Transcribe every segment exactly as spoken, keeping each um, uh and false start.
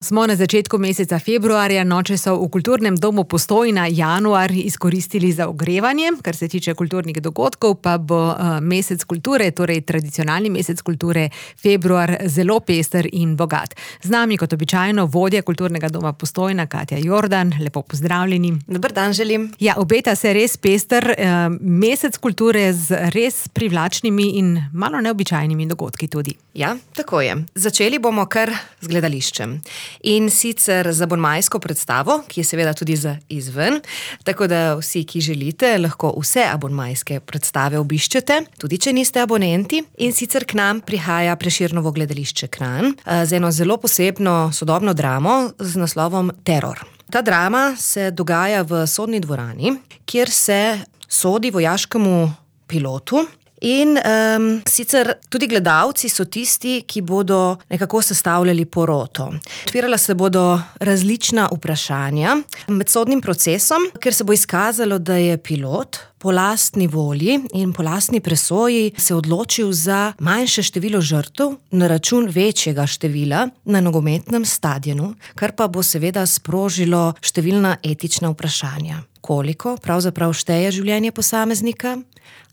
Smo na začetku meseca februarja, noče so v Kulturnem domu Postojna januar izkoristili za ogrevanje. Kar se tiče kulturnih dogodkov, pa bo mesec kulture, torej tradicionalni mesec kulture, februar, zelo pester in bogat. Z nami kot običajno vodja Kulturnega doma Postojna, Katja Jordan. Lepo pozdravljeni. Dober dan želim. Ja, obeta se res pester mesec kulture z res privlačnimi in malo neobičajnimi dogodki tudi. Ja, tako je. Začeli bomo kar z gledališčem. In sicer z abonmajsko predstavo, ki je seveda tudi za izven, tako da vsi, ki želite, lahko vse abonmajske predstave obiščete, tudi če niste abonenti. In sicer k nam prihaja Prešernovo gledališče Kranj z eno zelo posebno sodobno dramo z naslovom Teror. Ta drama se dogaja v sodni dvorani, kjer se sodi vojaškemu pilotu. In um, sicer tudi gledalci so tisti, ki bodo nekako sestavljali poroto. Odpirala se bodo različna vprašanja med sodnim procesom, ker se bo izkazalo, da je pilot po lastni volji in po lastni presoji se odločil za manjše število žrtev na račun večjega števila na nogometnem stadionu, kar pa bo seveda sprožilo številna etična vprašanja. Koliko pravzaprav šteje življenje posameznika?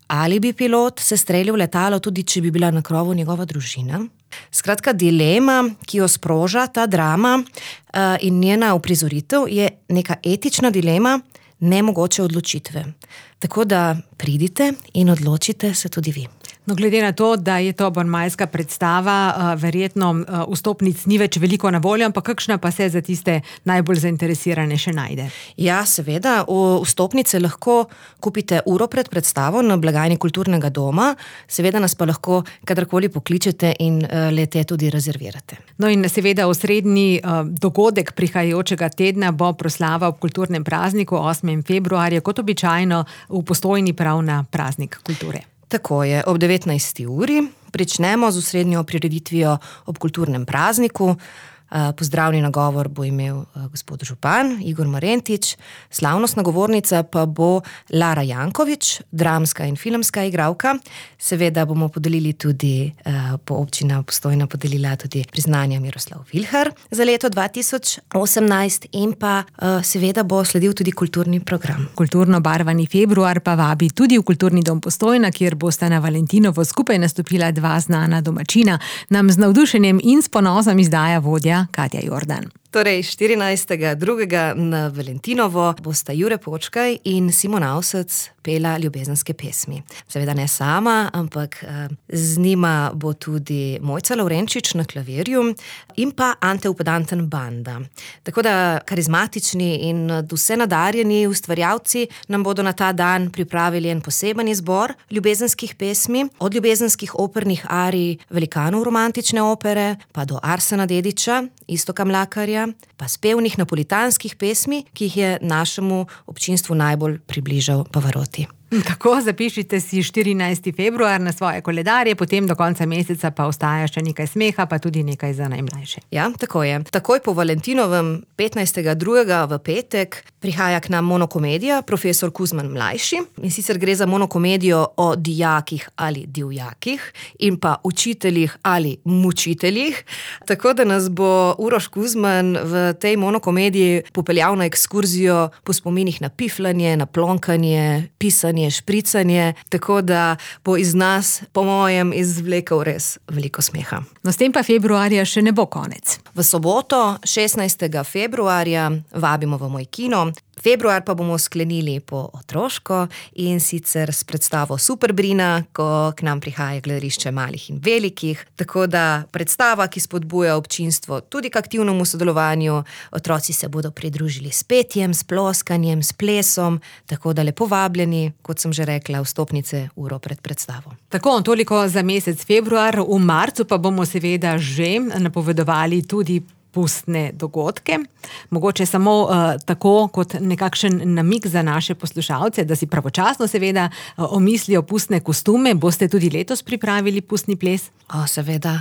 Ali bi pilot se streljal v letalo, tudi če bi bila na krovu njegova družina? Skratka, dilema, ki jo sproža ta drama in njena uprizoritev, je neka etična dilema nemogoče odločitve. Tako da pridite in odločite se tudi vi. No, glede na to, da je to abonmajska predstava, verjetno vstopnic ni več veliko na voljo, ampak kakšna pa se za tiste najbolj zainteresirane še najde? Ja, seveda, vstopnice lahko kupite uro pred predstavo na blagajni Kulturnega doma, seveda nas pa lahko kadarkoli pokličete in le-te tudi rezervirate. No in seveda osrednji dogodek prihajajočega tedna bo proslava ob kulturnem prazniku osmega februarja, kot običajno v Postojni prav na praznik kulture. Tako je, ob devetnajsti uri pričnemo z osrednjo prireditvijo ob kulturnem prazniku. Pozdravni nagovor bo imel gospod župan Igor Marentič, slavnostna govornica pa bo Lara Jankovič, dramska in filmska igralka. Seveda bomo podelili tudi, po občina Postojna podelila tudi priznanja Miroslav Vilhar za leto dva tisoč osemnajst in pa seveda bo sledil tudi kulturni program. Kulturno barvani februar pa vabi tudi v Kulturni dom Postojna, kjer bosta na Valentinovo skupaj nastopila dva znana domačina. Nam z navdušenjem in s ponosom izdaja vodja Katja Jordan. Torej, štirinajstega drugega na Valentinovo bosta Jure Počkaj in Simon Avsec pela ljubezenske pesmi. Seveda ne sama, ampak z njima bo tudi Mojca Lavrenčič na klavirju in pa Ante Upedanten banda. Tako da karizmatični in vse nadarjeni ustvarjalci nam bodo na ta dan pripravili en poseben izbor ljubezenskih pesmi, od ljubezenskih opernih arij velikanov romantične opere, pa do Arsena Dedića, Iztoka Mlakarja, pa spevnih napolitanskih pesmi, ki jih je našemu občinstvu najbolj približal Pavarotti. Tako, zapišite si štirinajsti februar na svoje koledarje, potem do konca meseca pa ostaja še nekaj smeha, pa tudi nekaj za najmlajše. Ja, tako je. Takoj po Valentinovem, petnajstega drugega v petek, prihaja k nam monokomedija Profesor Kuzman mlajši. In sicer gre za monokomedijo o dijakih ali divjakih in pa učiteljih ali mučiteljih. Tako da nas bo Uroš Kuzman v tej monokomediji popeljal na ekskurzijo po spominih na piflanje, na plonkanje, pisanje, špricanje, tako da bo iz nas, po mojem, izvlekel res veliko smeha. No, s tem pa februarja še ne bo konec. V soboto, šestnajstega februarja, vabimo v moj kino. Februar pa bomo sklenili po otroško in sicer s predstavo Superbrina, ko k nam prihaja gledališče malih in velikih. Tako da predstava, ki spodbuja občinstvo tudi k aktivnemu sodelovanju, otroci se bodo pridružili s petjem, s ploskanjem, s plesom, tako da lepo vabljeni, kot sem že rekla, vstopnice uro pred predstavo. Tako, toliko za mesec februar. V marcu pa bomo seveda že napovedovali tudi pustne dogodke. Mogoče samo uh, tako kot nekakšen namig za naše poslušalce, da si pravočasno seveda uh, omislijo pustne kostume. Boste tudi letos pripravili pustni ples? O, seveda.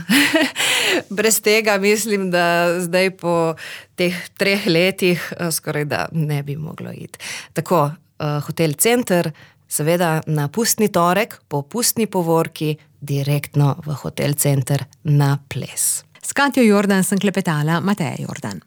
Brez tega mislim, da zdaj po teh treh letih uh, skoraj da ne bi moglo iti. Tako, uh, Hotel Center, seveda na pustni torek, po pustni povorki, direktno v Hotel Center na ples. S Katjo Jordan sem klepetala, Mateja Jordan.